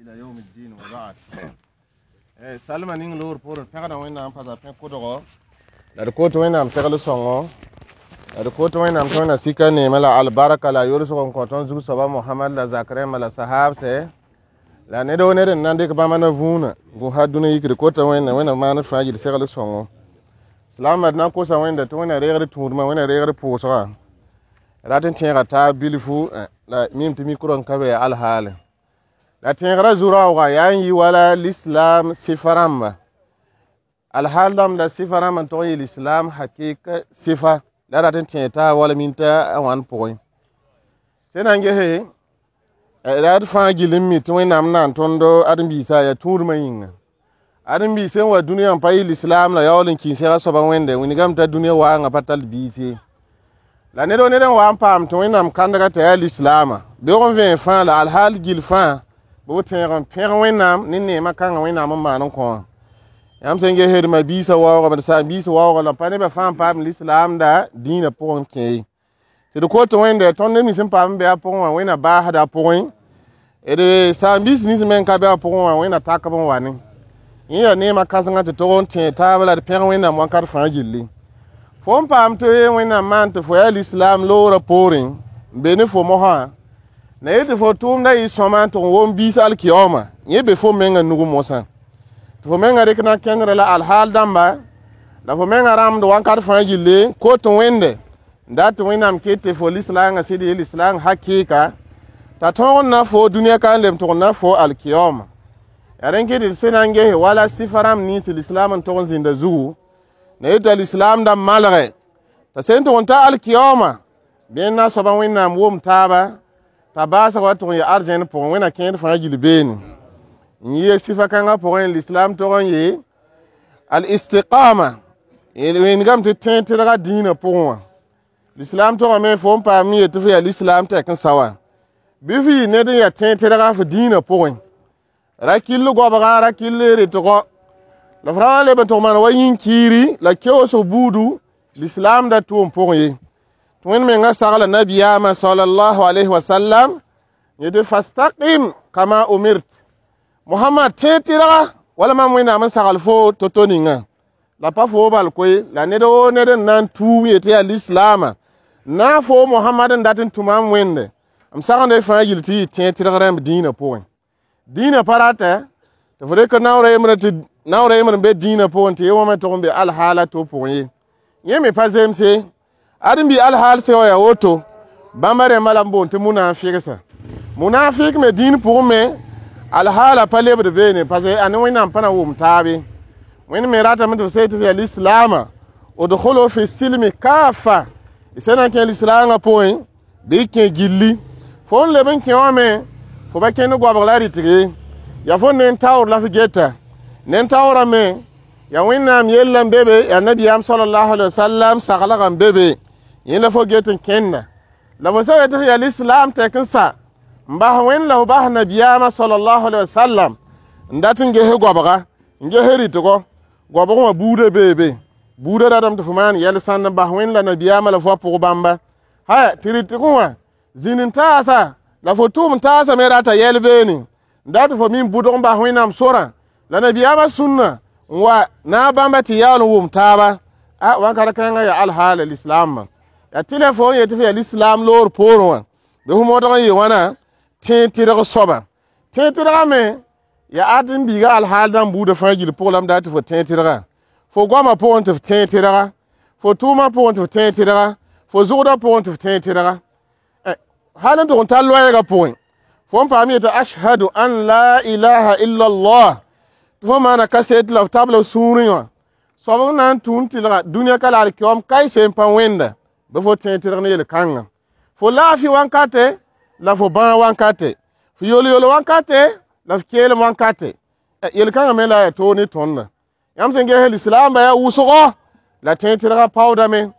Ila yawm الدين وبعد. Salma ning loor poorẽ pẽgda Wẽnnaam pasa pẽ kʋdgo la d kot Wẽnnaam segl sõngo la d kot Wẽnnaam tɩ Wẽnna sika neemã la albarka la yolsg n kõ tõnd zug-soaba Mohamad la zak rẽmba la sahaabsɛ la ned woo ned n na n dɩk bãmba na vũuna gʋsa dũni yikd kota Wẽnna Wẽnna maand fãa yil segl sõngo. Silaambã d na n kosa Wẽnda tɩ Wẽnna reegd tũudmã, Wẽnna reegd pʋʋsga rat n tẽega taab bilfu la mim tɩ mikrõ n ka be alhaale la tẽegrã zu-raooga yaa n yɩ wala l'islam sɩfa rãmba alhaal dãmb la sɩfa rãmb n tog n yɩ l'islam hakɩka sɩfa la rat n tẽeg taab wala minta a wãn pʋgẽ sẽn na n gese la d fãa gill n mi tɩ Wẽnnaam naan tõnd ãdem-biisã yaa tũudmã yĩnga. Ãdem-biis sẽn wa dũniyã n pa yɩ l'islam la yaool n kĩis sɛga soaba Wẽnde wingame t'a dũniyã waangã pa tall biis ye. La ned wo ned n wa n paam tɩ Wẽnnaam kãndga t'a yaa lislaamã beoog n vẽen fãa la alhaal gill fãa bɩ b tẽeg n pẽg Wẽnnaam ne neemã kãngã Wẽnnaam n maan n kõ wã. Yãmb sẽn ges d ma-biisã waoogame d saam-biis waooga la pa nebã fãa n paam lislaamda dĩinã pʋgẽ kẽ ye. Tɩ d kot Wẽnde tõnd neb nins n paam n be a pʋgẽ wã Wẽnna baasda a pʋgẽ d saam-biis nins me n ka be a pʋgẽ wã Wẽnna tak b n wa ne. Yẽ yaa neemã kãsengã tɩ tog n tẽeg taab la d pẽg Wẽnnaam wãnkat fãa gilli. Fo n paam tɩ Wẽnnaam maan tɩ fo yaa lislaam loorã poorẽ n be ne fo mosã na yet tɩ fo tʋʋmda yɩ sõma n tʋg n wom biis alkiyaooma yẽ be fo menga nug mosã tɩ fo menga rɩk na kẽndrã la alhaal dãmba la fo menga rãmbd wãnkat fãa gilli kot Wẽnde n dat tɩ Wẽnnaam ket tɩ fo lislaangã sɩd yɩ lislaang hakɩɩka t'a tõog n na fo dũniyã ka n leb tʋg n na fo alkiyaooma. Yaa rẽn kɩ tɩ sẽn na n gese wala sɩfa rãmb nins lislaam n tog n zĩnda zugu na yeta lislaam da malgɛ t'a sẽn tʋg n ta alkiyaooma bɩ n na soaba Wẽnnaam wom taaba t'a baasg wa tʋg n yɩ arzẽn pʋgẽ Wẽnna kẽed fãa gill beene. N yɩ sɩfa kãngã pʋgẽ lislaam tog n yɩ al-istiqama wẽngame tɩ tẽeg tɩrga dĩinã pʋgẽ wã. Lislaam togame fo n paam n yet tɩ fo yaa lislaam tɛk n sa wã bɩ f yɩ ned n yaa tẽeg tɩrga f dĩinã pʋgẽ ra kill goabga ra kill rɩtgɔ la f ra wa leb n tʋg maan wa yĩn-kiiri la keoosg buudu lislaam da tʋʋm pʋgẽ ye. Tɩ Wẽnd mengã sagla nabiyaamã salallahu alayhi wa sallam yetɩ fastaqim kama umirt Mohamad tẽeg tɩrga wala mam Wẽnnaam n sagl fo to-to ninga la pa fo bal koe la ned woo ned n na n tuum yetɩ yaa lislaamã na fo Mohamad n dat n tʋmam Wẽnde m sagenda y fãa gill tɩ yɩ tẽeg tɩrg rãmb dĩinã pʋgẽ. Dĩinã pa rata tɩ fo rɩk naoor yembrã tɩ naoor yembr n be dĩinã pʋgẽ tɩ ye wã me tʋg n be alhaala to pʋgẽ ye. Yẽ me pa zemse ãdem-bi alhaal sẽn wa yaa woto bãmba rẽmbã la n boond tɩ munafɩgsa. Munafɩk me dĩin pʋgẽ me alhaala pa lebd beene parce que ane Wẽnnaam pa na wʋm taabe. Wẽnd me ratame tɩ f seg tɩ f yaa lislaamã udkhulu fi silmi kafa y sẽn na n kẽ lislaangã pʋgẽ bɩ y kẽ gilli. Fo n leb n kẽ wã me fo pa kẽnd goabg la rɩtg ye yaa fo nen taoor la f geta nen taoorã me yaa Wẽnnaam yella n be be yaa nabiyaam salallahu alaihi wasallam saglgã n be be yẽ la fo get n kẽnda la fo sã yetɩ f yaa lislaam tɛk n sa n bas Wẽnd la f bas nabiyaamã salallahu alaihi wasallam n dat n ges goabga n ges rɩtgɔ goabg wã buudã bee be buudã ratame tɩ fo maan yɛl sãnd n bas Wẽnd la nabiyaamã la fo a pʋg bãmba haya tɩ rɩtg wã zĩnd n taasa la fo tʋʋm taasa me rata yɛl beene n dat tɩ fo min bʋdg n bas Wẽnnaam sorã la nabiyaamã sũnna n wa na bãmba tɩ yaool n wʋm taaba a wãnkat kãngã yaa alhaala lislaamã yaa tɩ la fo n yetɩ f yaa lislaam loor poorẽ wã bɩ fo modg n yɩ wãna tẽeg tɩrg soaba. Tẽeg tɩrgã me yaa ãdem-biigã alhaal dãmb buudã fãa gill pʋgẽ la m dat tɩ fo tẽeg tɩrga fo goamã pʋgẽ tɩ f tẽeg tɩrga fo tʋʋmã pʋgẽ tɩ f tẽeg tɩrga fo zʋgdã pʋgẽ tɩ f tẽeg tɩrga hal n tʋg n tar loɛɛgã pʋgẽ fo n paam yetɩ ashhadu an la ilaha illa allah tɩ fo maana kaset la f tabla f sũurẽ wã soab n na n tũun tɩlga dũniyã ka la alkiyoom kaɩse n pa wẽnda bɩ fo tẽeg tɩrg ne yel-kãngã fo laafɩ wãnkate la fo bãag wãnkate fo yol-yol wãnkate la f keelem wãnkate yel-kãngã me la yaa toog ne tõndã yãmb sẽn ges lislaamba yaa wʋsgɔ la tẽeg tɩrgã paoodame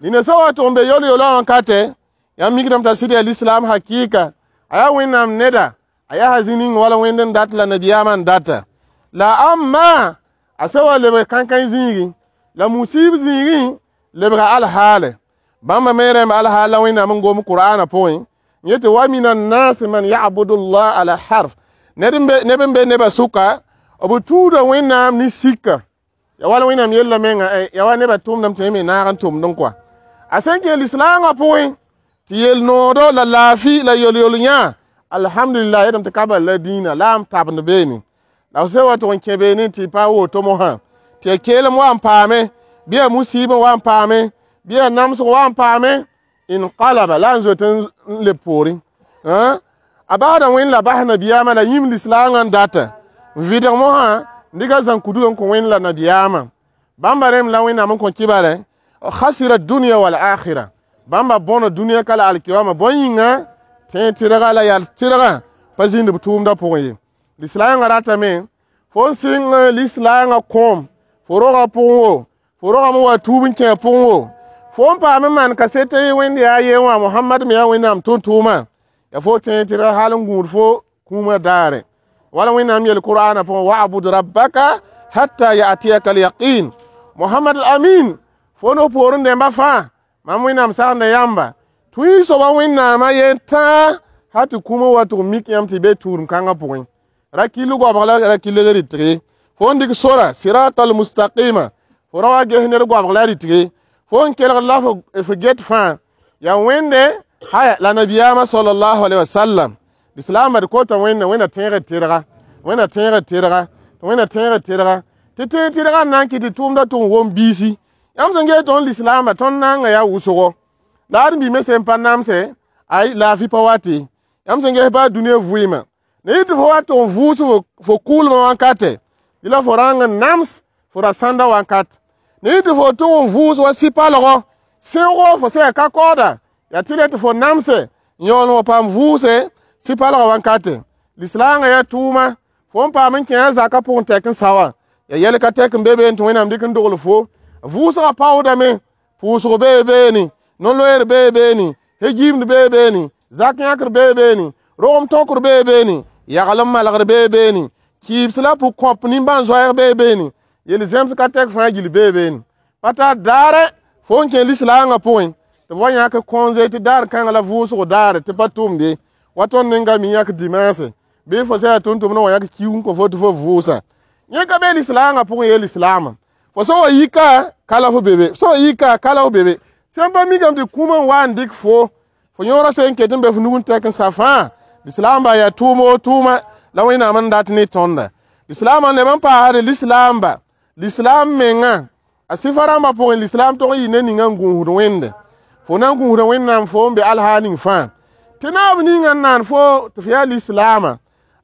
nina sã wa tʋg n be yol-yolã wãnkate yãmb mikdame t'a sɩd yaa lislaam hakɩɩka a yaa Wẽnnaam neda a yaa zĩ ning wala Wẽnd n dat la nabiyaamã n data la amma a sã wa lebg kãnkãn zĩigẽ la musiib zĩigẽ lebga alhaale bãmba me rẽmb alhaal la Wẽnnaam n gom Qur'aanã pʋgẽ yetɩ wa min annas man yabudu llah ala harf. Ned n be nebã sʋka b tuuda Wẽnnaam ne sika. Ya wala Wẽnnaam yella menga, ya wa nebã tʋmdame tɩ yẽ me naag n tʋmdẽ kɔa. A sẽn kẽ lislaangã pʋgẽ tɩ yel noodo la laafɩ la yol-yol yã, alhamdulillah, yetame tɩ ka bal la dĩinã la n tabend beene. La f sẽn wa tʋg n kẽ beene tɩ pa woto mosã, tɩ ya keelem wa n paame, bɩ ya musiib wa n paame, bɩ ya namsg wa n paame, inqalaba la n zoet n leb poorẽ. A basda Wẽnd la bas nabiyaamã la yĩm lislaangã n data n vɩdg mosã n dɩka zãn-kudg n kõ Wẽnd la nabiyaamã. Bãmba rẽmb la Wẽnnaam n kõ kibare khasira dunya wal akhira. Bãmba bõna dũniyã ka la alkiyama bõe yĩnga tẽ tɩrga la yal tɩrgã pa zĩnd b tʋʋmdã pʋgẽ ye. Lislaangã ratame fo n sɩng lislaangã kõom fo rogã pʋgẽ wo, fo rogame wa tuub n kẽ a pʋgẽ wo, fo n paam n maan kaset Wẽnd yaa ye wã Mohamad me yaa Wẽnnaam tʋʋm-tʋʋma, ya fo tẽ tɩrga hal n gũud fo kũumã daare. Wala Wẽnnaam yel Qur'aanã pʋgẽ wa'bud rabbaka hatta ya'tiyaka al-yaqin. Mohamad al-Amin fo no poorẽ dẽmba fãa mam Wẽnnaam sagenda yãmba tũi soaba Wẽnnaamã yen tãa hal tɩ kũumã wa tʋg mik yãmb tɩ be tũudem kãngã pʋgẽ. Ra kill goabg la ra kilg rɩtg ye. Fo n dɩk sora sirata al-mustaqima fo ra wa ges ned goabg la rɩtg ye. Fo n kelgd la fo get fãa yaa Wẽnde haya la nabiyaamã sallallahu alaihi wasallam. Lislaambã d kota Wẽnna, Wẽnna tẽegd tɩrga, Wẽnna tẽegd tɩrga, Wẽnna tẽegd tɩrga, tɩ tẽeg tɩrgã n na n kɩt tɩ tʋʋmdã tʋg n wom biisi. Yãmb sẽn ges tõnd lislaambã, tõnd naanga yaa wʋsgo. La ãdem-biig me sẽn pa namse, ay laafɩ pa wat ye. Yãmb sẽn ges baa dũniyã vɩɩmã, ne yɩ tɩ fo wa tʋg n vʋʋs fo kʋʋlmã wankate, bɩ la fo rãng n nams fo ra sãnda wankat. Ne yɩ tɩ fo tʋg n vʋʋs wa sɩ-palgo, sẽogo fo sẽn yaa ka kaooda, yaa tɩ tɩ fo namse n yaool n wa paam vʋʋse sɩ-palgã wankate. Lislaangã yaa tʋʋma, fo n paam n kẽ a zakã pʋgẽ tɛk n sa wã, yaa yɛl ka tɛk n be beene tɩ Wẽnnaam dɩk n dogl fo. Vʋʋsgã paoodame, pʋʋsg bee beene, no-loeer bee beene, he-giimd bee beene, zak yãkr bee beene, rogem tõkr bee beene, yagl n malgr bee beene, kɩɩbs la pʋg-kõp nimbãan-zoɛɛg bee beene, yel-zẽms ka tɛk fãa gill bee beene. Pa tar daare fo n kẽ lislaangã pʋgẽ tɩ b wa yãk kõnze tɩ daar kãngã la vʋʋsg daare tɩ pa tʋmd ye. Wa tõnd ninga mi yãk dimanse bɩ fo sã yaa tʋm-tʋmdã wa yãk kiug n kõ fo tɩ fo vʋʋsa. Yẽ ka be lislaangã pʋgẽ ye lislaamã. Fo sã wa yika ka la fo bebe, fo sã wa yika ka la fo bebe. Sẽn pa mikame tɩ kũumã n wa n dɩk fo, fo yõorã sẽn ket n be fo nug n tɛk n sa fãa, lislaambã yaa tʋʋm o tʋʋma la Wẽnnaam n dat ne tõnda. Lislaambã n leb n paasde lislaamba, lislaam mengã a sɩfa rãmbã pʋgẽ lislaam tog n yɩ ne ninga n gũusd Wẽnde. Fo na n gũusda Wẽnnaam fo n be alhaal ning fãa. Tɩ naab ninga n naan fo tɩ fo yaa lislaamã,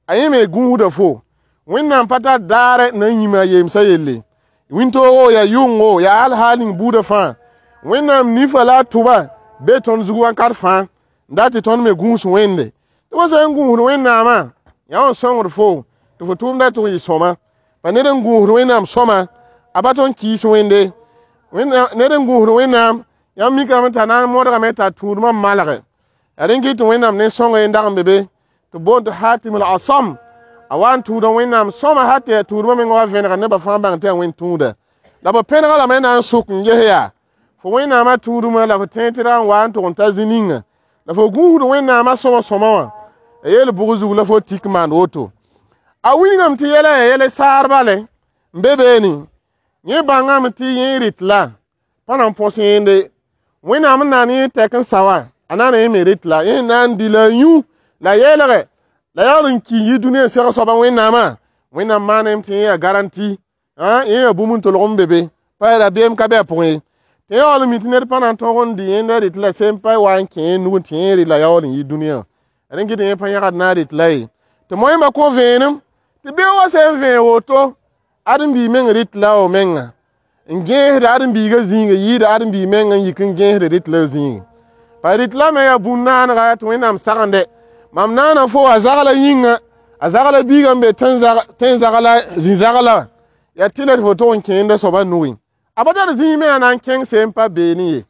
a yẽ me gũusda fo. Wẽnnaam pa tar daare na n yĩma a yemsã yelle. Wĩntoogo yaa yʋngo yaa alhaal ning buudã fãa. Wẽnnaam nifa la a tʋba be tõnd zug wakat fãa n dat tɩ tõnd me gũus Wẽnde. Tɩ fo sã n gũusd Wẽnnaamã, yaa wã n sõngd fo tɩ fo tʋʋmdã tʋg n yɩ sõma. Pa ned n gũusd Wẽnnaam sõma, a pa tõnd kɩɩs Wẽnde. Ned n gũusd Wẽnnaam, yãmb mikame t'a na n modgame t'a tũudmã malge. Yaa rẽn kɩt tɩ Wẽnnaam ne sõngo n dag n be be tɩ boond tɩ Hatim al-Asam. A wa n tũuda Wẽnnaam sõma hal tɩ yaa tũudmã meng wa vẽnega nebã fãa bãng tɩ yaa Wẽnd tũuda. La b pẽnega lame na n sʋk n ges yaa fo Wẽnnaamã tũudmã la fo tẽeg tɩrga n wa n tʋg n ta zĩ ninga. La fo gũusd Wẽnnaamã sõma sõma wã, ya yel bʋg zug la fo tik maan woto. A wilgame tɩ yɛla yaa yɛl saar bale n be beene. Yẽ bãngame tɩ yẽ rɩt la pa na n põs yẽnde. Wẽnnaam n naan yẽ tɛk n sa wã, a na n yẽ me rɩt la. Yẽ na n dɩ la a yũ la yɛlge la yaool n ki n yi dũniyã n seg soaba Wẽnnaamã. Wẽnnaam maaname tɩ yẽ yaa garanti, yẽ yaa bũmb n tolg n be be, pa rabeem ka be a pʋgẽ ye. Tɩ yaool n mi tɩ ned pa na n tõog n dɩ yẽnda rɩt la sẽn pa wa n kẽ yẽ nug tɩ yẽ rɩt la yaool n yi dũniyã. Rẽn kɩ tɩ yẽ pa yãgd na n rɩt la ye. Tɩ moẽmã kõ vẽenem tɩ beoog wã sẽn vẽeg woto, ãdem-biig meng rɩt la wa menga n gẽesd ãdem-biigã zĩigã yɩɩda ãdem-biig meng n yik n gẽesd rɩt la zĩigã. Pa rɩt la me yaa bũn-naanega tɩ Wẽnnaam sagende. Mam naana fo a zagla yĩnga, a zagla biigã n be tẽn-zagla zĩ-zagla, yaa tɩ la tɩ fo tʋg n kẽenda soabã nugẽ. A pa tar zĩig me yaa na n kẽng sẽn pa beene ye.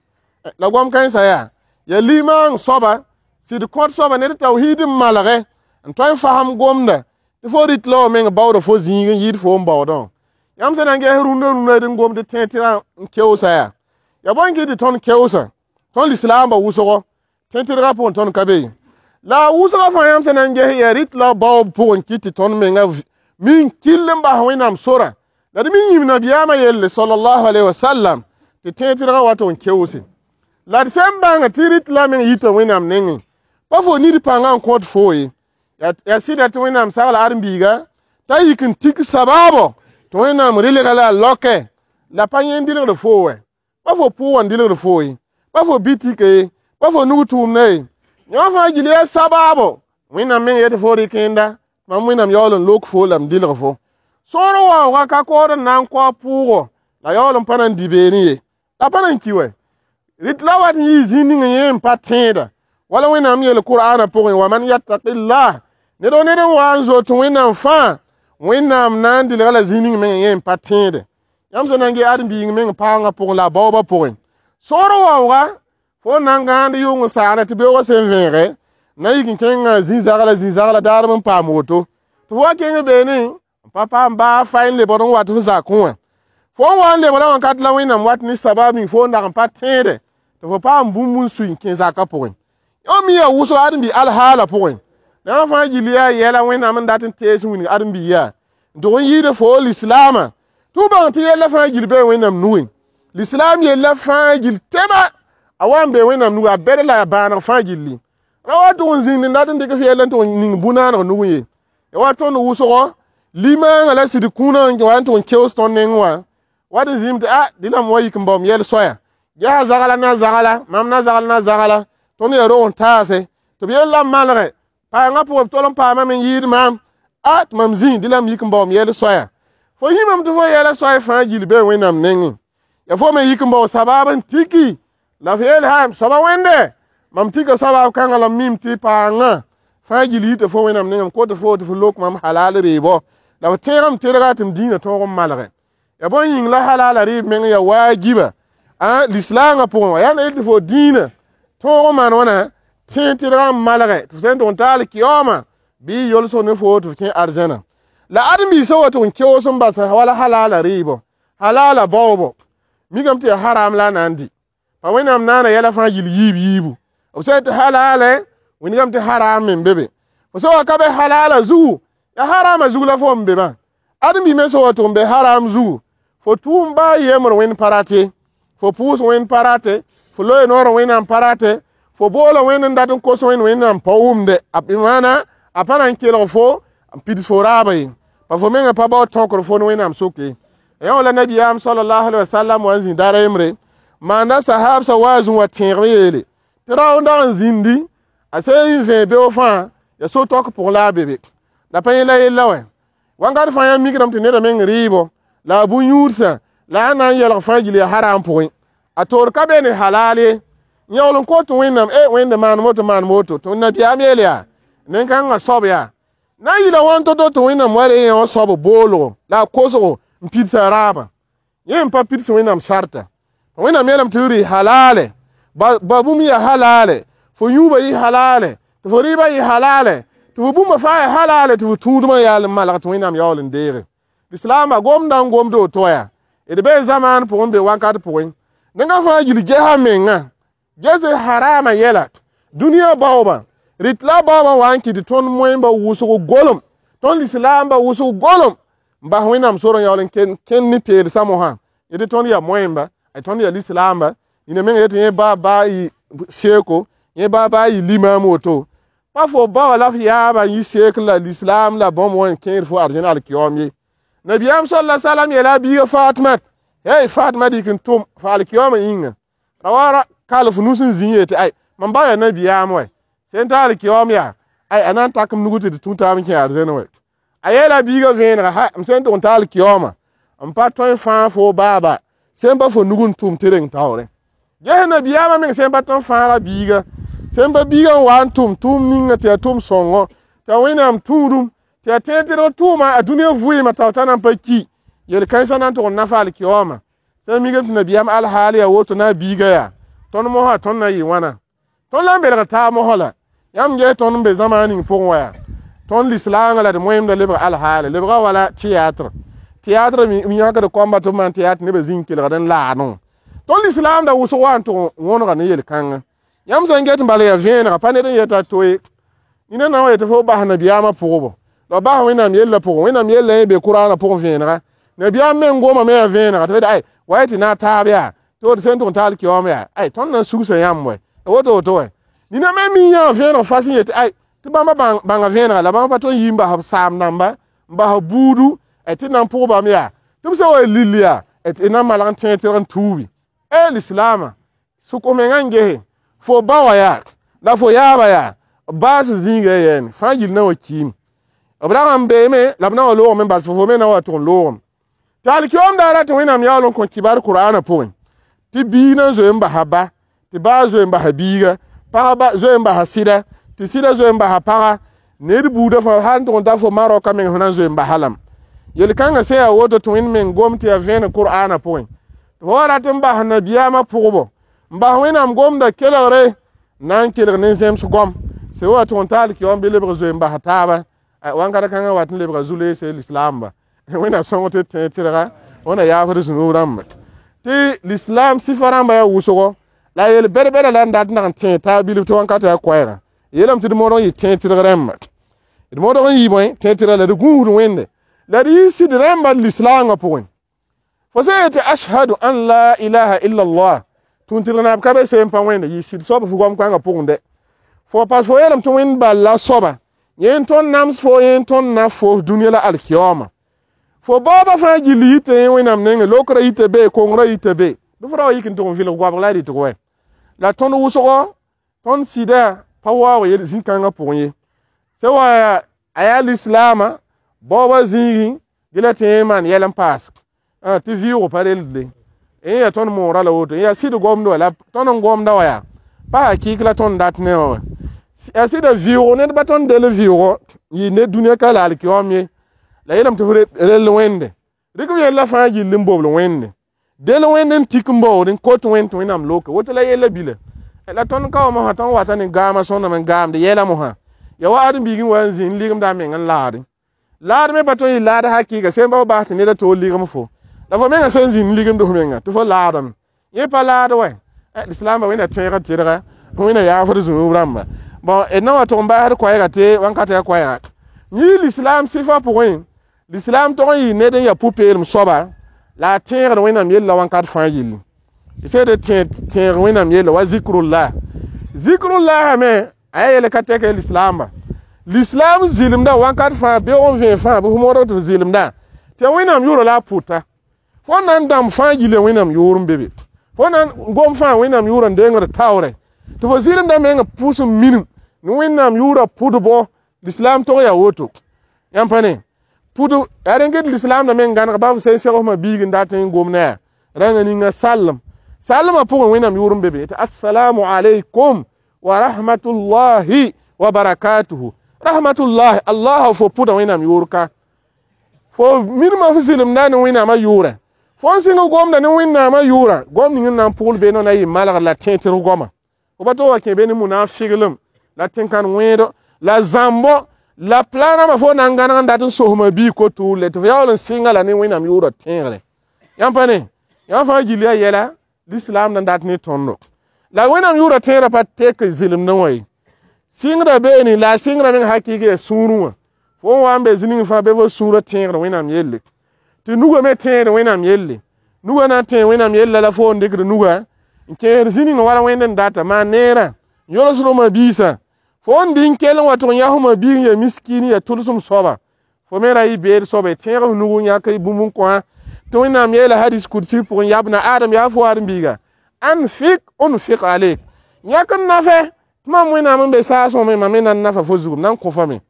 La goam kãensã yaa, yaa limaang soaba, sɩd kõt soaba ned tawhiid n malge n tõe n fasem gomda tɩ fo rɩt la wa meng baooda fo zĩig n yɩɩd fo n baoodã. Yãmb sẽn na n ges rũndã rũndã d n gom tɩ tẽeg tɩrgã n keoosa yaa. Yaa bõe n kɩt tɩ tõnd keoosa, tõnd lislaambã wʋsgo, tẽeg tɩrgã pʋgẽ tõnd ka be ye. La a wʋsgã fãa yãmb sẽn na n ges yaa rɩt la baoob pʋgẽ kɩt tɩ tõnd menga min kell n bas Wẽnnaam sora. La d mi yĩm nabiyaamã yelle sallallahu alaihi wasallam tɩ tẽed-tɩdgã wa tɩ n keoose. La d sẽn bãng tɩ rɩt la meng yita Wẽnnaam nengẽ. Pa fo nid pãngã n kõt fo ye. Yaa sɩda tɩ Wẽnnaam sagla ãdem-biiga t'a yik n tik sabaabo tɩ Wẽnnaam rɩlga la a laoke la pa yẽ n dilgd fo wɛ. Pa fo pʋʋgã n dilgd fo ye. Pa fo bitike ye. Pa fo nug tʋʋmda ye. Yõ fãa gil yaa sabaabo Wẽnnaam meng yetɩ fo rɩk yẽnda mam Wẽnnaam yaool n lok fo la m dilg fo. Sõor waoogã ka kood n na n kao pʋʋgo la yaool n pa na n dɩ beene ye. La pa na n ki wɛ. Rɩt la wat n yɩ zĩig ning yẽ n pa tẽeda. Wala Wẽnnaam yeel Kur'aanã pʋgẽ wa man yattaqillah ned o ned n wa n zoet Wẽnnaam fãa Wẽnnaam na n dilga la zĩig ning meng yẽ n pa tẽede. Yãmb sẽn na n ges ãdem-biig meng paoongã pʋgẽ la a baoobã pʋgẽ. Sõor waoogã fo na n gãand yʋng n saana tɩ beoogã sẽn vẽege na yik n kẽngã zĩ-zagla daarem n paam woto. Tɩ fo wa kẽng beene n pa paam baa fay n lebd n wat f zakẽ wã. Fo n wa n lebda wãnkat la Wẽnnaam wat ne sabab ning fo n dag n pa tẽede tɩ fo paam bũmb n sui n kẽ zakã pʋgẽ. Yõ mi yaa wʋsg ãdem-bi alhaala pʋgẽ. La yã fãa gill yaa yɛla Wẽnnaam n dat n tees n wilg ãdem-bi yaa n tʋg n yɩɩd fo lislaamã. Tɩ f bãng tɩ yɛlla fãa gill bee Wẽnnaam nugẽ. Lislaam yella fãa gill tɛma a wa n be Wẽnnaam nugẽ a bɛd la a bãaneg fãa gilli. Ra wa tʋg n zĩnd n dat n dɩk f yɛll n tʋg n ning bũ-naaneg nugẽ ye. Ya wa tõnd wʋsgo limaangã la sɩd kũunã n wa n tʋg n keoos tõnd neng wã wat n zĩm tɩ a dẽnam wa yik n baoom yɛl soaya. Yaa zagla na zagla, mam na zagl na zagla, tõnd yaa rog n taase. Tɩ b yella n malge, paangã pʋgẽ b tol n paamame n yɩɩd maam, a tɩ mam zĩ dẽla m yik n baoom yɛl soaya. Fo yĩmame tɩ fo yɛla soay fãa gill bee Wẽnnaam nengẽ. Ya fo me yik n bao sabaab n tiki la f yeel ha m soaba Wẽnde mam tika sabaab kãngã la m mim tɩ paangã fãa gill yita fo Wẽnnaam nengẽ m kot fo tɩ fo lok mam halal reebɔ la f tẽegame tedga tɩ m dĩinã tõog n malge. Ya bõe yĩng la halala rɩɩb meng ya waajiba a lislaangã pʋgẽ wã yaa na yel tɩ fo dĩinã tõog n maan wãna tẽeg tɩdgã n malge tɩ f sẽn tʋg n taal kiyoomã bɩ yolsg ne fo tɩ f kẽ arzãna. La ãdem-biisã wa tʋg n keoos n bas wala halala rɩɩbɔ halala baoobɔ mikame tɩ yaa haram la a na n dɩ. Pa Wẽnnaam naana yɛla fãa gill yiib yiibu. B sã tɩ halale wĩndgame tɩ haram me n be be. Fo sã wa ka be halala zugu yaa harama zug la fo n be bã. Ãdem-bi me sã wa tʋg n be haram zugu fo tʋʋm baa yembre Wẽnd pa rate, fo pʋʋs Wẽnd pa rate, fo loe noor Wẽnnaam pa rate, fo boola Wẽnd n dat n kos Wẽnd Wẽnnaam pa wʋmde. A maana a pa na n kelg fo n pids fo raaba ye. Pa fo mengã pa bao tõkr fo ne Wẽnnaam soke. Yã la nabiyaam sallallahu alaihi wasallam wa n zĩ dar yembre maanda sahabsã wa zũ wa tẽegm yeele tɩ rao n dag n zĩndi a sẽn n vẽe beoog fãa ya so-tɔk pʋgẽ la a be be. La pa yẽ la yella wɛ. Wãnkat fãa yã mikdame tɩ neda meng rɩɩbɔ la a bũ-yũudsã la a na n yɛlg fãa gill yaa haram pʋgẽ. A toor ka be ne halal ye. N yaool n kot Wẽnnaam e Wẽnde maan woto maan woto tɩ nabiyaam yeel yaa nen-kãngã soab yaa na n yɩla wãn to-to tɩ Wẽnnaam wa re yẽ wã soab boolgo la a kosgo n pids a raabã. Yẽ n pa pids Wẽnnaam sarta. Wẽnnaam yeelame tɩ rɩ halale ba bũmb yaa halale fo yũubã yɩ halale tɩ fo rɩɩbã yɩ halale tɩ fo bũmba fãa yaa halale tɩ fo tũudmã yaal n malg tɩ Wẽnnaam yaool n deege. Lislaambã gomdã n gomd woto yaa d bee zamaan pʋgẽ n be wakat pʋgẽ. Nengã fãa gill gesa mengã ges harama yɛla dũniyã baoobã rɩt la baoobã wa n kɩt tɩ tõnd moẽmba wʋsg golem tõnd lislaambã wʋsg golem n bas Wẽnnaam sor n yaool n kẽnd ne peelsã mosã yetɩ tõnd yaa moẽmba tõnd yaa lislaamba yĩna meng yetɩ yẽ ba baa yɩ seeko yẽ ba baa yɩ limaam woto. Pa fo ba wa la f yaaba n yɩ seek la lislaam la bõmb wã n kẽed fo arzẽn alkiyoom ye. Nabiyaam salla salam yeela a biiga Fatma hey Fatma dɩk n tʋm f alkiyoomã yĩnga ra wa kal f nus n zĩ yetɩ ay mam ba yaa nabiyaam wɛ sẽn ta alkiyoom yaa ay a na n tak m nug tɩ d tũ taab n kẽ arzẽn wɛ. A yeela a biiga vẽenega ha m sẽn tʋg n ta alkiyoomã n pa tõe n fãag fo baaba sẽn pa fo nug n tʋm tɩ reng taoorẽ. Ges nabiyaamã meng sẽn pa tõe n fãaga biiga sẽn pa biigã n wa n tʋm tʋʋm ninga tɩ yaa tʋm sõngo tɩ a Wẽnnaam tũudum tɩ yaa tẽed tɩdg tʋʋma a dũniyã vɩɩmã tao t'a na n pa ki yel-kãensã na n tʋg n nafa alkiyoomã. Sẽn mikame tɩ nabiyaam alhaal yaa woto na a biiga yaa tõnd mosã tõnd na yɩ wãna. Tõnd la n belg taab mosã la yãmb ges tõnd n be zãmaan ning pʋgẽ wa yaa tõnd lislaangã la d moẽmda lebg alhaale lebga wala théâtre. Théâtre mi yãkd koamba tɩ b maan théâtre nebã zĩng kelgd n laanẽ. Tõnd lislaamda wʋsg wa n tʋg wõnega ne yel-kãngã. Yãmb sẽn get n bala yaa vẽenega pa ned n yeta to ye. Nina na wa yetɩ fo bas nabiyaamã pʋgbo la b bas Wẽnnaam yellã pʋgẽ. Wẽnnaam yellã yẽ be Kʋraanã pʋgẽ vẽenega. Nabiyaam meng gomame yaa vẽenega tɩ ay wa tɩ na taab yaa tɩ woto sẽn tʋg n taal kiaoom yaa ay tõnd na n sugsa yãmb wɛ woto woto wɛ. Nina me mi yã vẽeneg fas n yetɩ ay tɩ bãmba bãnga vẽenega la bãmb pa tõe n yi n bas b saam dãmba n bas b buudu tɩ na n pʋg bãmb yaa tɩ b sã wa lill yaa tɩ na n malg n tẽeg tɩrg n tuubi. E lislaamã sʋk mengã n gese fo ba wã yaa la fo yaaba yaa b baas zĩiga yɛɛne fãa gill na wa kiime b rag n beeme la b na wa loogame n bas fo me na wa tʋg n loogame. Tɩ alkiom daara tɩ Wẽnnaam yaool n kõ kibar Kʋraanã pʋgẽ tɩ biig na n zoe n basa ba tɩ baa zoe n basa biiga pagã zoe n basa sɩda tɩ sɩda zoe n basa pagã ned buudã fãa sã n tʋg n ta fo Marɔka meng fo na n zoe n basa lame. Yel-kãngã sẽn yaa woto tɩ Wẽnd meng gom tɩ yaa vẽeneg Kʋraanã pʋgẽ tɩ fo wa rat n bas nabiyaamã pʋgbo n bas Wẽnnaam gomda kelgre na n kelg ne zẽms gom sẽn wa tʋg n taal kiom bɩ lebg zoe n basa taaba wãnkata kãngã wat n lebga zu-leese lislaamba. Wẽnnaam sõng tɩ tẽeg tɩrga wẽnna yaafd zũnub rãmba tɩ lislaam sɩfa rãmba yaa wʋsgo la yel bɛd-bɛda la n dat n dag n tẽeg taab bilf tɩ wãnkat yaa koɛɛgã yeelame tɩ d modg n yɩ tẽeg tɩrg rãmba d modg n yɩ bõe tẽeg tɩrga la d gũusd Wẽnde la d yɩ sɩd rãmba lislaangã pʋgẽ. Fo sẽn yetɩ ashhadu an la ilaha illa allah tũn-tɩrg naab ka be seen pa Wẽnde yɩ sɩd soab f goam-kãngã pʋgẽ dɛ fo pas fo yeelame tɩ Wẽnd bal la soaba yẽ n tõnd nams fo yẽ n tõnd na fo dũniyã la alkiyaooma. Fo baoobã fãa gill yita yẽ Wẽnnaam nengẽ lokrã yita be kongrã yita be bɩ fo ra wa yik n tʋg n vɩlg goabg la a rɩtg wɛ la tõnd wʋsgo tõnd sɩda pa waoog yel zĩ-kãngã pʋgẽ ye sẽn wa a yaa lislaamã baoobã zĩigẽ dɩ la tɩ yẽ maan yɛl n paas tɩ vɩʋʋg pa relde yẽ yaa tõnd moora la woto yaa sɩd gomd wa la tõnd n gomda wa yaa pa hakɩɩk la tõnd dat ne wã wɛ yaa sɩda vɩʋʋg ned pa tõnd del vɩʋʋgɔ n yɩ ned dũniyã ka la alkiyaoom ye la yeelame tɩ f rell Wẽnde rɩk b yella fãa gill n bobl Wẽnde del Wẽnd n tik n baood n kot Wẽnd tɩ Wẽnnaam loke woto la yella bila la tõnd ka wa mosã tõnd wata ne gaamã sõndame n gaamd yɛla mosã ya wa ãdem-biig n wa n zĩ n ligimda a meng n laadẽ laad me pa tõe n yɩ laad hakɩɩga sẽn ba bas tɩ ned a toor ligem fo la fo mengã sẽn zĩ n ligemd f menga tɩ fo laadame yẽ pa laad wɛ lislaambã Wẽnna tõeg n tɩrga Wẽnna yaafd zũnub rãmba bon d na wa tʋg n basd koɛɛga tɩ wãnkat yaa koɛɛga yĩi lislaam sɩfã pʋgẽ lislaam tog n yɩ ned n yaa pʋ-peelem soaba la a tẽegd Wẽnnaam yella wãnkat fãa yelle sẽd tẽeg Wẽnnaam yella wa zikrullah zikrullah me a yaa yel ka tɛk lislaamba lislaam zɩlemda wãnkat fãa beoog n vẽeg fãa bɩ f modg tɩ f zɩlemda tɩ Wẽnnaam yʋʋra la a pʋta fo na n dãmb fãa gilla Wẽnnaam yʋʋr n be be fo na n gom fãa Wẽnnaam yʋʋra n dengd taoorɛ tɩ fo zɩlemda menga pʋʋs n minim ne Wẽnnaam yʋʋra pʋdbɔ lislaam tog yaa woto yãmb pa ne pʋd yaa rẽn get lislaamda meng gãneg ba f sẽn seg f ma biig n dat n gom ne yaa rãnga ninga sallem salmã pʋgẽ Wẽnnaam yʋʋr n be be tɩ assalamu alaykum wa rahmatullahi wa barakatuhu rahmatullahi allah fo pʋda Wẽnnaam yʋʋr ka fo mirmã f zɩlemda ne Wẽnnaamã yʋʋrã fo n sɩng gomda ne Wẽnnaamã yʋʋrã gom ning n na n pʋgl be na yɩ malgr la tẽeg-tɩrg goama fo pa tog wa kẽ be ne munafiglem la tẽn-kãn wẽedo la zãmbo la plan rãmbã fo na n gãneg n dat n sosma biig kotuurle tɩ fo yaool n sɩnga la ne Wẽnnaam yʋʋrã tẽegre yãmb pa ne yãmb fãa gill yaa yɛla lislaam na n dat ne tõndo la Wẽnnaam yʋʋrã tẽedã pa tek zɩlemdẽ wã ye sɩngdã beene la a sɩngrã meng hakɩɩk yaa sũurẽ wã fo n wa n be zĩ-ning fãa bɩ fo sũurã tẽegd Wẽnnaam yelle tɩ nugã me tẽed Wẽnnaam yelle nugã na n tẽeg Wẽnnaam yella la fo n dɩkd nugã n kẽesd zĩ-ning wala Wẽnd n data maan neerã n yolsd ma biisã fo n dɩ n kell n wa tʋg n yas ma biig n yaa miskiin n yaa tʋlsem soaba fo me ra yɩ beed soaba y tẽeg f nug n yãk bũmb n kõ tɩ Wẽnnaam yeela hadis kudsi pʋgẽ yabna Adam yaa fo ãdem-biiga anfik unfik alek yãk n nafɛ tɩ mam Wẽnnaam n be saasẽ me mam me na n nafa fo zugum na n kõ-fa me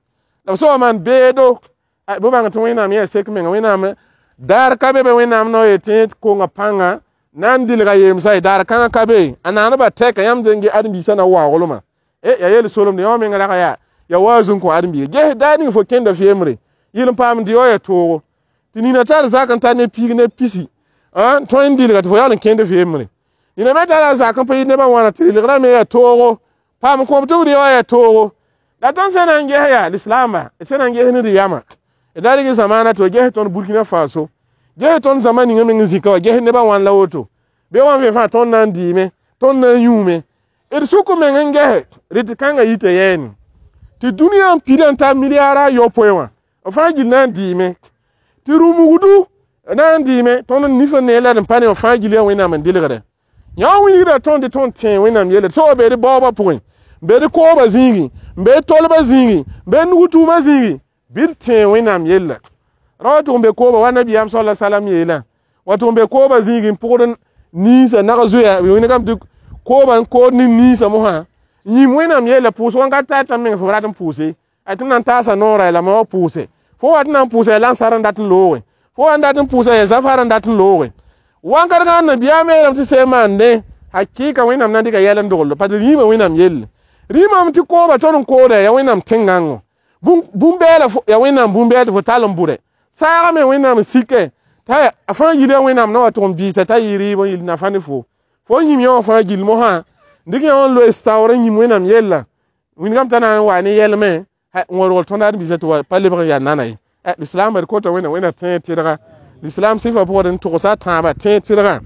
la b soaba maan beedo bɩ bãng tɩ Wẽnnaam yã sek menga Wẽnnaam daar ka be be Wẽnnaam nao yetɩ konga pãnga na n dilga yemsa ye daar kãngã ka be a naanbã tɛka yãmb zẽng ãdem-biisã na waoolmã e ya yel solemde yã menga rag yaa ya waoog n kõ ãdem-biiga ges daar ning fo kẽnda f yembre yɩl n paam dɩ ya toogo tɩ nina tar zak n tar ne piig ne pisi n tõe n dilga tɩ fo yaool n kẽnd f yembre nina me tara zak n pa yɩ nebã wãna tɩ rɩlgrã me yaa toogo paam kõb tɩ b rɩ wã yaa toogo la tõnd sẽn na n ges yaa lislaamba d sẽn na n ges ne d yama d da rɩg zamaana tɩ ges tõnd Burkina Faso ges tõnd zãma ninga meng n zĩka wa ges nebã wãn la woto be wã vẽ fãa tõnd na n dɩɩme tõnd na n yũume d sʋk meng n gese rɩtɩ kãngã yita yɛɛne Tɩ dũniyã n pida n tar milliard a yopoe wã b fãa gill na n dɩɩme tɩ rũmugdu na n dɩɩme tõnd nif n nee la d n pa ne b fãa gill yaa Wẽnnaam n dɩlgdɛ yã wilgda tõnd tɩ tõnd tẽe Wẽnnaam yelle tɩ soaba bee d baoobã pʋgẽ n bee d koobã zĩigẽ n bee tolbã zĩigẽ n bee nug-tʋʋmã zĩigẽ bɩ d tẽe Wẽnnaam yella ra wa tʋg n be kooba wa nabiyaam sala salam yeelã wa tʋg n be kooba zĩigẽ n pʋgd ninsã nag zoeya wẽnegame tɩ kooba n kood ne ninsã mosã yĩm Wẽnnaam yella pʋʋs wãnkat ta t'a meng fo rat n pʋʋse a tɩ m na n taasa noorã la ma wa pʋʋse fo wa tɩ na n pʋʋsa yaa lansar n dat n looge fo wa n dat n pʋʋsa yaa zafar n dat n looge wãnkat gã nabiyaam yeelame tɩ sẽn maandẽ hakɩɩka Wẽnnaam na n dɩka yɛl n dogl parce que rĩimã Wẽnnaam yelle rĩimame tɩ kooba tõnd n kooda yaa Wẽnnaam tẽn-gãngo bũmb-bɛɛla yaa Wẽnnaam bũmb-bɛɛl tɩ fo tall n bʋdɛ saagã me Wẽnnaam n sike t'a a fãa yil yaa Wẽnnaam na wa tʋg n biisa t'a yɩ rɩɩb n yɩl nafa ne fo fo yĩm yã wã fãa gill mosã dɩk yã wã n loe saoor n yĩm Wẽnnaam yella wĩndgame t'a na n wa ne yɛlmẽ n wa rogl tõnd ãdem-biisã tɩ wa pa lebg n yaa nana ye lislaambã d kota Wẽnnaam Wẽnnaam tẽeg tɩrga lislaam sɩfã pʋgd n togsa a tãabã tẽeg tɩrgã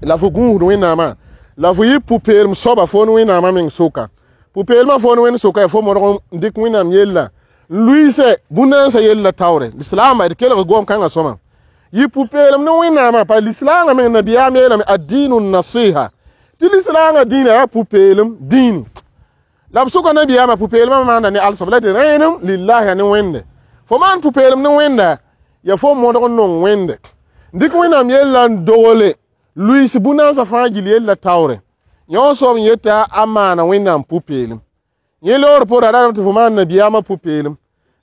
la fo gũusd Wẽnnaamã la fo yɩ pʋ-peelem soaba fo ne Wẽnnaamã meng soka pʋ-peelmã fo ne Wẽnd soka yaa fo modg n dɩk Wẽnnaam yella n luiise bũn-nansã yella taoore lislaambã d kelg goam kãngã sõma yɩ pʋ-peelem ne Wẽnnaamã pa lislaangã meng nabiyaam yeelame ad-dinu nasiha tɩ lislaangã dĩinã yaa pʋ-peelem dĩini la b sʋka nabiyaamã pʋ-peelmã maanda ne alsoab la tɩ rẽenem lillahi ne Wẽnde fo maan pʋ-peelem ne Wẽnda yaa fo modg n nong Wẽnde dɩk Wẽnnaam yella n dogle luiis bũn-naamsã fãa gill yella taoore yõ soab n yeta a maana Wẽnnaam pʋ-peelem yẽ loor pʋgda ra tɩ fo maan nabiyaamã pʋ-peelem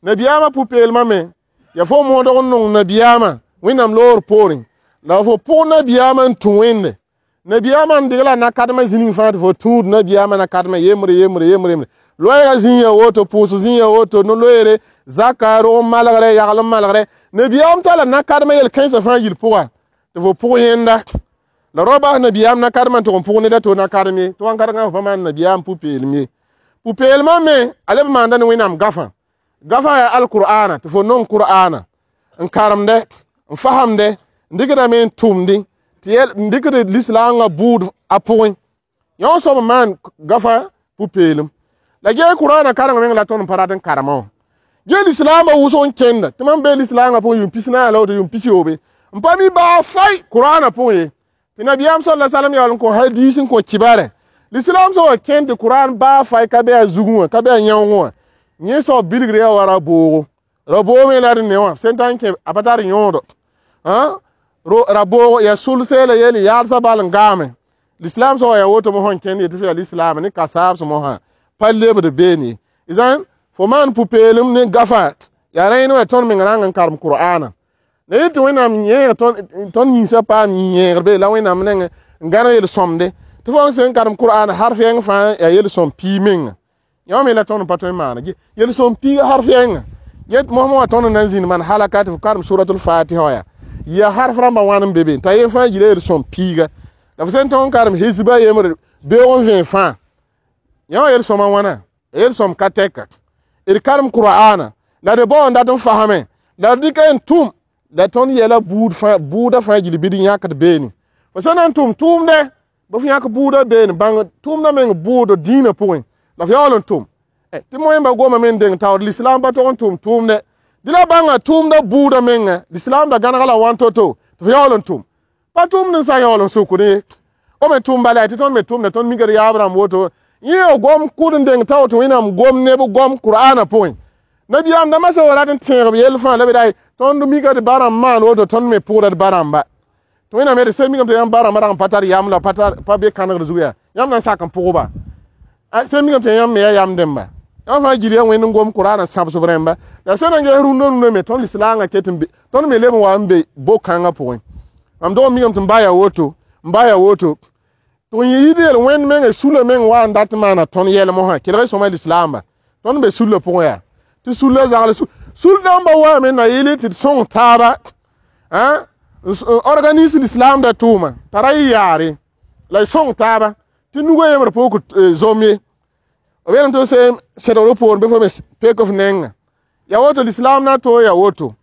nabiyaamã pʋ-peelmã me yaa fo modg n nong nabiyaamã Wẽnnaam loor poorẽ la fo pʋg nabiyaamã n tũ Wẽnde nabiyaamã n degla na-kadmã zĩnig fãa tɩ fo tũud nabiyaamã na-kadmã yembre yembre yembre yembre loɛɛgã zĩig ya woto pʋʋs zĩig ya woto no-loeere zaka rog n malgrɛ yagl n malgrɛ nabiyaam tala na-kadmã yel-kãensã fãa yil pʋga tɩ fo pʋg yẽnda la rao bas nabiyaam na-kadmã n tʋg n pʋg ned a to na-kadem ye tɩ wãnkadgã fo pa maan nabiyaam pʋ-peelem ye pʋ-peelmã me a leb maanda ne Wẽnnaam gafã gafã yaa alkur'aana tɩ fo nong kur'aana n karemdɛ n fasemdɛ n dɩkdame n tʋmdẽ tɩ n dɩkd lislaangã bʋʋd a pʋgẽ yõ soab n maan gafã pʋ-peelem la gee kur'aana kareng meng la tõnd n pa rat n karemã wã gee lislaambã wʋsg n kẽnda tɩ mam bee lislaangã pʋgẽ yʋʋm pis-naas la woto yʋʋm pis-yoobe n pa mi baa fai kur'aana pʋgẽ ye tɩ nabiyaam sala salam yaool n kõ hadiis n kõ kibare lislaam sã wa kẽnd tɩ kur'aan baa fai ka be a zugẽ wã ka be a yãoongẽ wã yẽ soab bilgr yaa wa ra-boogo ra-boog me la d ne wã sẽn ta n kẽ a pa tar yõodo ra-boogo yaa sulse la yeel yaalsã bal n gaame lislaam sã wa yaa woto mosã n kẽnd yetɩ fo yaa lislaam ne kasaabs mosã pa lebd beene ye zãn fo maan pʋ-peelem ne gafa yaa rẽen wã tõnd meng rãng n karem kur'aana la yetɩ Wẽnnaam yẽeg tõnd yĩnsã paam yĩ-yẽegr be la Wẽnnaam nengẽ n gãneg yel-sõmde tɩ fo sẽn karem kur'aana harf yɛng fãa yaa yel-sõm piig menga yõ me la tõnd n pa tõe n maana yel-sõm piiga harf yɛnga yet mosmã wã tõnd n na n zĩnd maan halaka tɩ fo karem suratul fatiha wã yaa harf rãmbã wãn n be be t'a yen fãa gila yel-sõm piiga la fo sẽn tõg n karem hizba yembre beoog n vẽe fãa yã wã yel-sõmã wãna yel-sõm ka tɛka d karem kur'aana la d bao n dat n fasame la d dɩka n tʋm la tõnd yɛla buudã fãa gil bɩ d yãkd beene fo sã na n tʋm tʋʋmdɛ bɩ f yãk buudã beene bãng tʋʋmdã meng bʋʋd dĩinã pʋgẽ la f yaool n tʋm tɩ moẽmba goma me n deng taoor lislaam pa tog n tʋm tʋʋmdɛ dɩ la bãnga tʋʋmdã buudã menga lislaam da gãnega la wãn to-to tɩ f yaool n tʋm pa tʋʋmd n sã yaool n sʋkd ye o me tʋm bala tɩ tõnd me tʋmda tõnd mika d yaab rãmb woto yẽ gom kʋd n deng tao tɩ Wẽnnaam gom neb gom kur'aana pʋgẽ nabiyaam dãmbã sã wa rat n tẽeg b yell fãa la b ra tõnd mika d ba rãmb maan woto tõnd me pʋgda d ba rãmba tɩ Wẽnnaam yetɩ sẽn mikame tɩ yãmb ba rãmbã rag n pa tar yam la pa be kãnegd zug yaa yãmb na n sak n pʋgba sẽn mikame tɩ yãmb me yaa yam dẽmba yãmb fãa gil yaa Wẽnd n gom kur'aana sãbsb rẽmba la sẽn na n ges rũndã rũndã me tõnd lislaangã ket n be tõnd me leb n wa n be bo-kãngã pʋgẽ mam dog n mikame tɩ n ba yaa woto n ba yaa woto tɩ n yɩ yel Wẽnd mengã sula meng wa n dat n maana tõnd yɛl mosã kelg sõma lislaamba tõnd be sulla pʋgẽ yaa tɩ sulla zagl sul dãmbã waame na yɩl tɩ d sõng taaba organise lislaam da tʋʋma t'a ra yɩ yaare la y sõng taaba tɩ nugã yembr pʋʋk zom ye b yeelame tɩ sẽn sẽdgr poorẽ bɩ fo me pek f nenga ya woto lislaam na to ya woto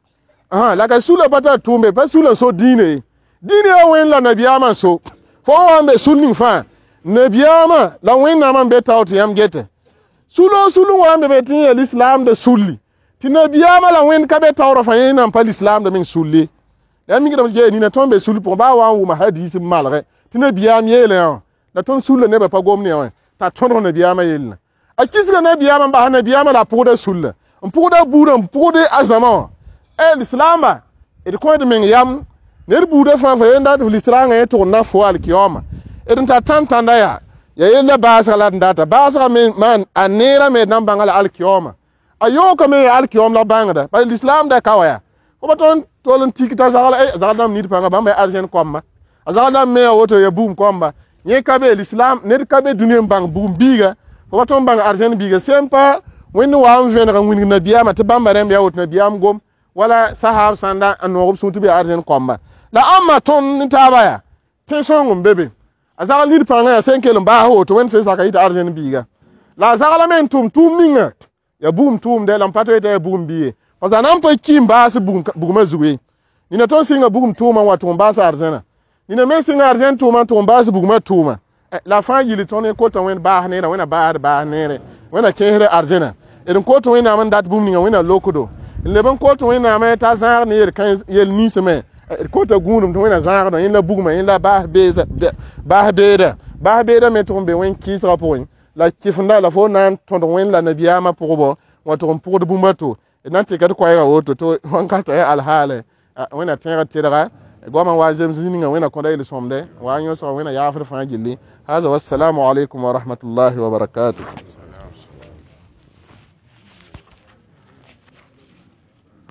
la ka sula pa tar tʋʋmbe pa sula n so dĩinã ye dĩinã yaa Wẽnd la nabiyaamã n so fo wa n be sul ning fãa nabiyaamã la Wẽnnaamã n be tao tɩ yãmb gete Sulo sulu wa n be be tɩ ya lislaamda sulli tɩ nabiyaamã la wẽnd ka be taoorã fãa yẽ nan pa lislaamda meng sulle. La mikdame tɩ nina tõnd be sul pʋgẽ baa wa n wʋma hadiis n malgɛ tɩ nabiyaam yeelã yã la tõnd sulla nebã pa gom ne wã t'a tõdg nabiyaamã yellã. A kisga nabiyaamã n bas nabiyaamã la a pʋgda sulla n pʋgda buudã n pʋgd a zãma wã. Lislaamba d kõ d meng yam ned buudã fãa fa yen dat lislaangã yẽ tʋg n na fo alkiyaooma d n tar tãn-tãnda yaa ya yella baasga la d data baasga me maan a neerã me d na n bãnga la alkiyaooma a yookame ya alkiyaoom la bãngda bala lislaam da ka wa yaa fo pa tõnd tol n tik t'a zagl zagl dãmb nid pãnga bãmba ya arzẽn koamba a zagl dãmb me a woto ya bugum koamba yẽ ka be lislaam ned ka be dũni n bãng bugum biiga fo pa tõnd bãng arzẽn biiga sẽn pa wẽnd wa n vẽneg n wĩndg nabiyaamã tɩ bãmba rẽmb yaa woto nabiyaam gom wala sahab sãnda n noog b sũur tɩ b yaa arzẽn koamba la ãmba tõnd ne taaba yaa tẽ-sõng n be be a zagl nid pãngã yaa sẽn kell n baas woto wẽnd sẽn saka yɩ tɩ arzẽn biiga la a zaglame n tʋm tʋʋm ninga ya bugum tʋʋmdɛ la n pa tɩ ya bugum bi ye parce a na n pa ki n baas bugmã zug ye nina tõnd sɩnga bugum tʋʋmã n wa tʋg n baas arzẽnã nina me sɩnga arzẽn tʋʋmã n tʋg n baas bugmã tʋʋma la fãa yili tõnd kota wẽnd baas neerã wẽna baasd baas neere wẽna kẽesd arzẽnã d n kot wẽnnaam n dat bũmb ninga wẽna lokdo n leb n kot wẽnnaam t'a zãag ne yel ninsme d kota gũudum tɩ wẽna zãagdã yẽ la bugmã yẽ la baas beeda baas beeda me tʋg n be wẽn kɩɩsgã pʋgẽ la kɩfenda la fo na n tõdg wẽnd la nabiyaamã pʋgbɔ wa tʋg n pʋgd bũmb a to d na n tɩka d koɛɛgã woto tɩ wãnkata ya alhaale wẽna tẽegd tɩrga goamã wa zems ninga wẽna kõda yel-sõmde wa yõsga wẽna yaafd fãa gilli. Haza wassalamu alaikum wa rahmatullahi wa barakatuh.